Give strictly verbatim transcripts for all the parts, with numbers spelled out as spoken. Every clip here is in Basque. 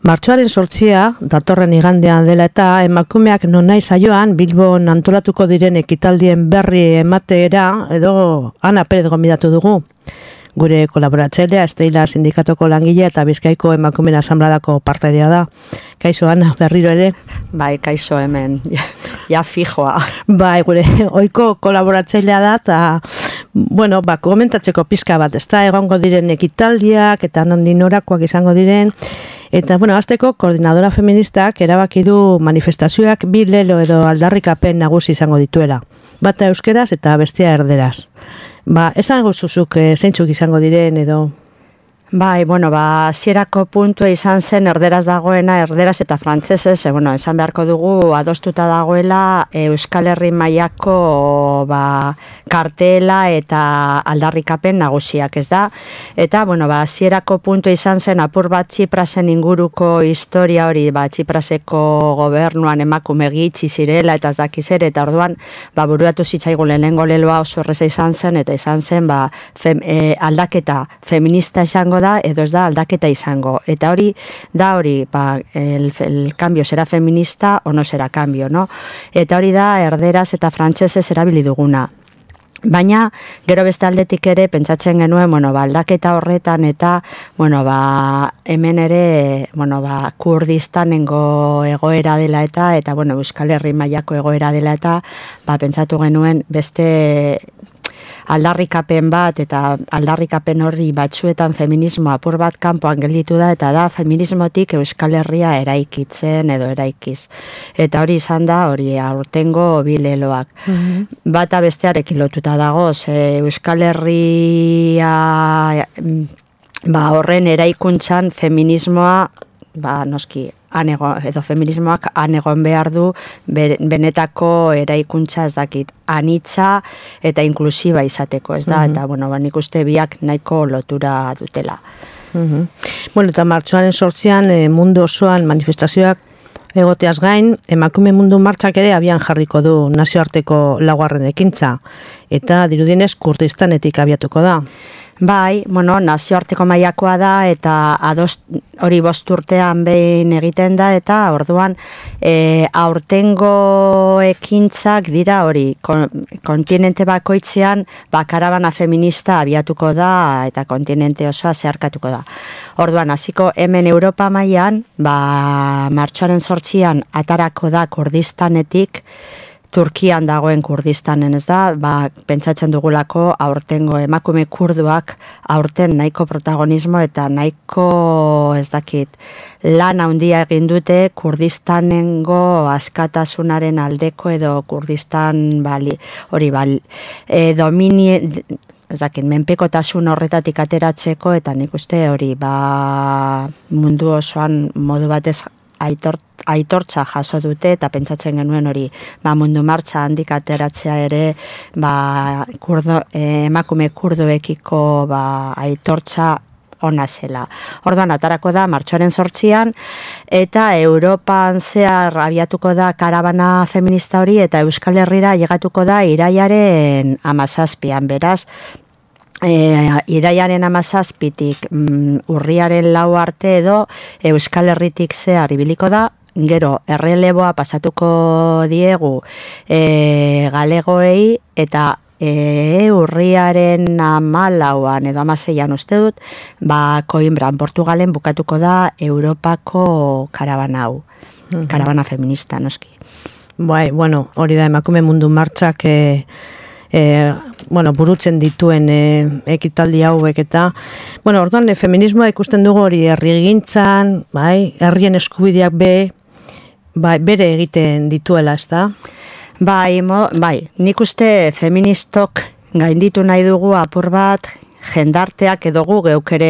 Martxoaren sortzia, datorren igandean dela eta emakumeak nonai saioan Bilbon antolatuko diren ekitaldien berri emateera edo Ana Perez gonbidatu dugu. Gure kolaboratzailea Esteila sindikatoko langilea eta Bizkaiko emakumeen asanbladako partaidea da. Kaixo Ana, berriro ere? Bai, kaixo hemen, ja, ja fijoa. Bai, gure ohiko kolaboratzailea da eta bueno, ba, komentatzeko pizka bat, ezta egongo diren ekitaldiak eta nondik norakoak izango diren. Eta, bueno, hasteko koordinadora feministak erabaki du manifestazioak bi lelo edo aldarrikapen nagusi izango dituela. Bata euskeraz eta bestea erderaz. Ba, esan guzuzuk e, zeintzuk izango diren edo... Bai, bueno, ba, hasierako puntua izan zen erderaz dagoena, erderaz eta frantsesez, e, bueno, esan beharko dugu adostuta dagoela Euskal Herri mailako ba, kartela eta aldarrikapen nagusiak, ez da? Eta, bueno, ba, hasierako puntua izan zen apur bat Txiprasen inguruko historia hori, ba, Txipraseko gobernuan emakume gitxi zirela eta ez dakiz ere, eta orduan, ba, buruatu zitzaigun lehenengo leloa oso erreza izan zen, eta izan zen, ba, fem, e, aldaketa feminista izango da, edo ez da aldaketa izango. Eta hori, da hori, ba, el, el cambio será feminista o no será cambio, no? Eta hori da, erderaz eta frantsesez erabili duguna. Baina, gero beste aldetik ere, pentsatzen genuen, bueno, ba, aldaketa horretan eta, bueno, ba, hemen ere, bueno, ba, Kurdistanengo egoera dela eta, eta, bueno, Euskal Herri mailako egoera dela eta, ba, pentsatu genuen beste aldarrikapen bat eta aldarrikapen horri batzuetan feminismo apur bat kanpoan gelditu da eta da feminismotik Euskal Herria eraikitzen edo eraikiz. Eta hori izan da hori aurtengo bi leloak. Mm-hmm. Bata bestearekin lotuta dago, ze Euskal Herria ba, horren eraikuntzan feminismoa ba, noski anego, edo feminismoak anegon behar du benetako eraikuntza ez dakit anitza eta inklusiba izateko, ez da? Mm-hmm. Eta, bueno, ba, nik uste biak nahiko lotura dutela. Mm-hmm. Bueno, eta martxoaren sortzian e, mundu osoan manifestazioak egoteaz gain, emakume mundu martxak ere abian jarriko du nazioarteko laugarren ekintza, eta dirudienez Kurdistanetik abiatuko da. Bai, bueno, nazioarteko mailakoa da eta adost, hori bost urtean behin egiten da eta orduan e, aurtengo ekintzak dira hori kon, kontinente bakoitzean ba, karabana feminista abiatuko da eta kontinente osoa zeharkatuko da. Orduan, hasiko hemen Europa mailan, ba, martxoaren zortzian atarako da Kurdistanetik, Turkian dagoen Kurdistanen, ez da, ba, pentsatzen dugulako aurtengo emakume kurduak aurten nahiko protagonismo eta nahiko, ez dakit, lan handia egin dute Kurdistanengo askatasunaren aldeko edo Kurdistan bali, hori bali, e, domini, ez dakit, menpekotasun horretatik ateratzeko eta nik uste hori, ba, mundu osoan modu batez aitor, aitortza jaso dute eta pentsatzen genuen hori ba, mundu martxa handik ateratzea ere ba, kurdo, eh, emakume kurduekiko ba, aitortza ona zela. Orduan atarako da martxoaren zortzian eta Europan zehar abiatuko da karabana feminista hori eta Euskal Herrira llegatuko da irailaren hamazazpian, beraz E, iraiaren hamazazpitik mm, urriaren lau arte edo Euskal Herritik zehar ibiliko da, gero erreleboa pasatuko diegu e, galegoei eta e, urriaren hamalauan edo hamaseian uste dut, ba, Coimbran, Portugalen bukatuko da Europako karabana hau, uh-huh. Karabana feminista, noski. Bai, bueno, hori da emakume mundu martxak e... E, bueno, burutzen dituen e, ekitaldi hauek eta bueno, orduan e, feminismoa ikusten dugu hori herrigintzan, bai, herrien eskubideak be, bai, bere egiten dituela, ezta? Bai, mo, bai, nik uste feministok gainditu nahi dugu apur bat jendarteak edo gu geuk ere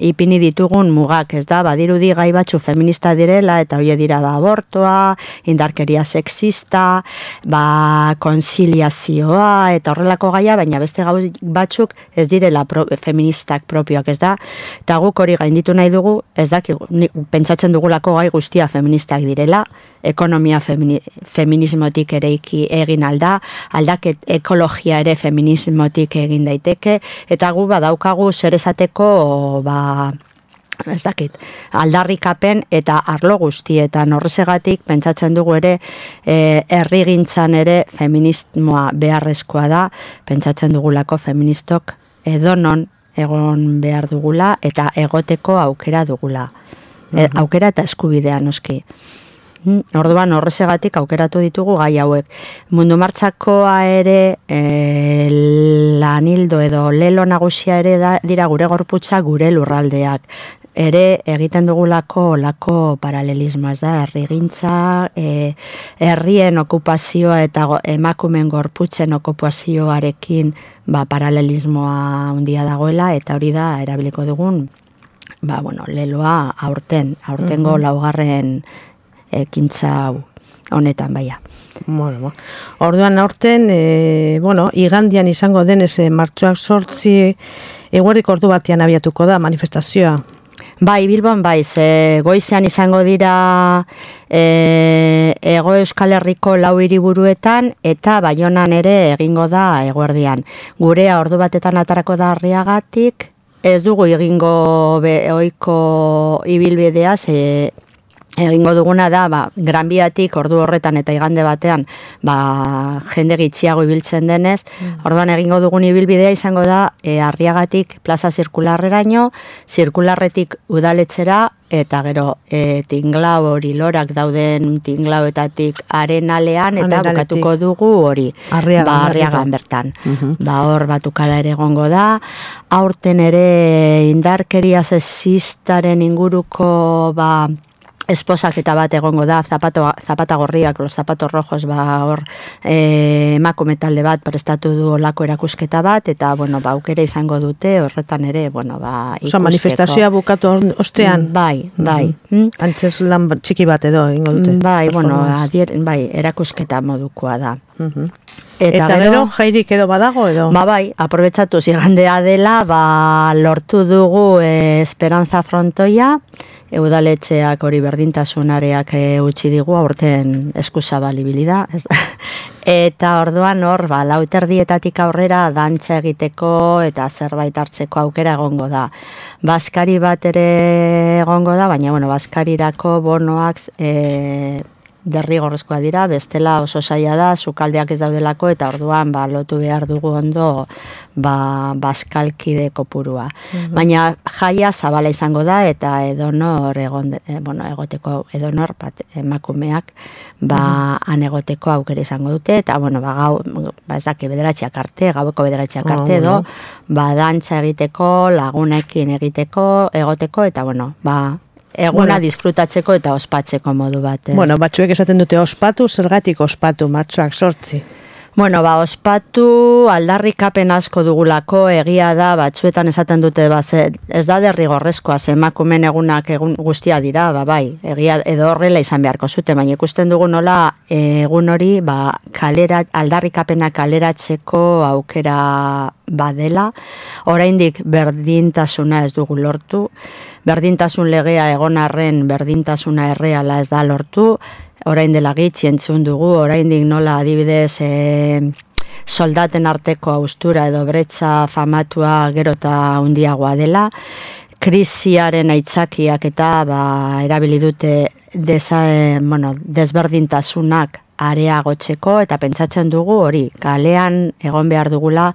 ipini ditugun mugak, ez da, badirudi gai batzu feminista direla eta hori dira ba, abortoa, indarkeria sexista, ba, konziliazioa eta horrelako gaia, baina beste gau batzuk ez direla pro, feministak propioak, ez da, eta guk hori gainditu nahi dugu, ez da, pentsatzen dugulako gai guztia feministak direla, ekonomia femini, feminismotik ere egin alda, aldaket ekologia ere feminismotik egin daiteke, eta gu badaukagu zer esateko ba, ez dakit, aldarrikapen eta arlo guztietan. Horrezegatik pentsatzen dugu ere e, herrigintzan ere feminismoa beharrezkoa da, pentsatzen dugulako feministok edonon egon behar dugula eta egoteko aukera dugula. E, aukera eta eskubidea noski. Orduan horrezegatik aukeratu ditugu gai hauek. Mundu Martxakoa ere e, lanildo edo lelo nagusia ere da, dira gure gorputza, gure lurraldeak. Ere egiten dugulako olako paralelismo, ez da, herrigintza, e, herrien okupazioa eta go, emakumen gorputzen okupazioarekin ba, paralelismoa handia dagoela, eta hori da erabiliko dugun ba, bueno, leloa aurten, aurtengo uh-huh. laugarren ekintza honetan baia. Bueno, orduan aurten, e, bueno, igandian izango denez e, martxoak sortzi eguerdik ordu batean abiatuko da manifestazioa. Bai, Bilbon, bai, ze goizean izango dira e, Ego Euskal Herriko lau hiriburuetan eta Baionan ere egingo da eguerdian. Gurea ordu batetan atarako da Arriagatik, ez dugu egingo be, oiko ibilbidea, ze egingo duguna da, ba, Gran Biatik ordu horretan eta igande batean, ba, jende gitxiago ibiltzen denez, mm. orduan egingo dugun ibilbidea izango da, e, Arriagatik plaza zirkularreraino, zirkularretik udaletxera, eta gero e, tinglau hori lorak dauden tinglauetatik arenalean, eta Arenaletik. bukatuko dugu hori, Arriagan, ba, Arriagan bertan. Uh-huh. Ba, hor batukada ere egongo da, aurten ere indarkeria sexistaren inguruko, ba, esposaketa bat egongo da, zapato, zapata gorriak, los zapatos rojos, ba, hor e, emakume talde bat prestatu du olako erakusketa bat, eta, bueno, ba, aukera izango dute, horretan ere, bueno, ba, ikusteko. Osa, manifestazioa bukatu ostean? Bai, bai. Mm-hmm. Antzes lan txiki bat edo, ingo dute? Bai, bueno, adier, bai, erakusketa modukoa da. Mm-hmm. Eta, eta gero, jairik edo badago edo? Ba bai, aprobetsatu zigandea dela, ba, lortu dugu e, Esperanza Frontoia, e, udaletxeak hori berdintasunareak e, utzi digu, aurten eskuzabali da. Eta orduan hor, ba, lauterdietatik aurrera dantza egiteko eta zerbait hartzeko aukera egongo da. Baskari bat ere egongo da, baina, bueno, baskarirako bonoak e, derrigorrezkoa dira, bestela oso zaila da, sukaldeak ez daudelako, eta orduan ba, lotu behar dugu ondo ba, baskalkide kopurua. Mm-hmm. Baina jaia zabala izango da, eta edonor egon, e, bueno, egoteko edonor bat, emakumeak ba, mm-hmm. han egoteko aukera izango dute, eta bueno, ba, gau, ba, ez daki bederatxeak arte, gaueko bederatxeak arte edo, oh, ba, dantza egiteko, lagunekin egiteko, egoteko, eta bueno, ba, eguna bueno, disfrutatzeko eta ospatzeko modu bat. Bueno, batzuek esaten dute ospatu, zergatik ospatu, martxoak sortzi. Bueno, ba, ospatu aldarrikapen asko dugulako, egia da, batzuetan esaten dute, ba, ze, ez da derrigorrezkoa, ze emakumen egunak egun guztia dira, ba, bai, egia edo horrela izan beharko zute, baina ikusten dugu nola egun hori, ba, kalera, aldarrikapena kaleratzeko aukera badela, oraindik berdintasuna ez dugu lortu, berdintasun legea egon arren berdintasuna erreala ez da lortu, orain dela gitxi entzun dugu, oraindik nola adibidez e, soldaten arteko haustura edo bretxa famatua gero eta handiagoa dela, krisiaren aitzakiak eta ba, erabili dute desa, e, bueno, desberdintasunak areagotzeko, eta pentsatzen dugu hori, kalean egon behar dugula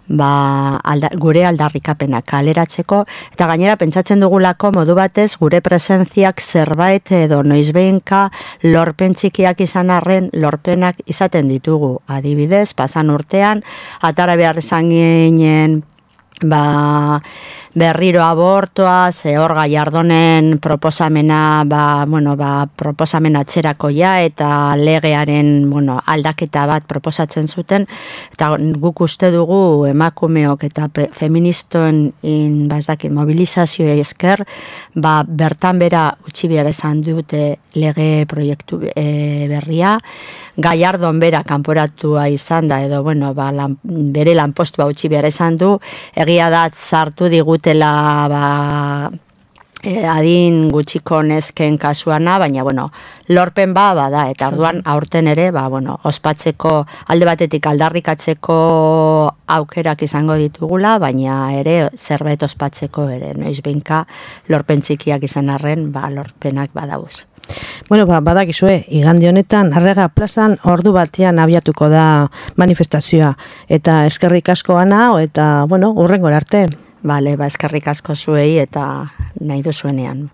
ba, alda, gure aldarrikapena kaleratzeko, eta gainera pentsatzen dugulako modu batez gure presentziak zerbait edo noizbeinka lorpen txikiak izan arren lorpenak izaten ditugu. Adibidez, pasan urtean, atara behar izan ginen ba, berriro abortoa, ze hor Gallardonen proposamena, ba, bueno, ba, proposamen atzerakoia eta legearen, bueno, aldaketa bat proposatzen zuten, eta guk uste dugu emakumeok eta pre, feministoen in, ba, ez dakit, mobilizazioa esker, ba, bertan bera utzi behar esan dute lege proiektu e, berria, Gallardon bera kanporatua izan da, edo, bueno, ba, lan, bere lanpostua utzi behar esan du, egia da sartu digutela ba, E, adin gutxiko nesken kasuana, baina, bueno, lorpen ba, bada, eta orduan aurten ere, ba, bueno, ospatzeko, alde batetik aldarrikatzeko aukerak izango ditugula, baina ere zerbait ospatzeko ere, noiz behinka lorpen txikiak izan arren, ba, lorpenak badauz. Bueno, ba, badakizue, igande honetan, Arrega plazan ordu batean abiatuko da manifestazioa, eta eskerrik asko Ana, eta, bueno, hurrengora arte. Bale, ba, eskerrik asko zuei eta nahi duzuenean.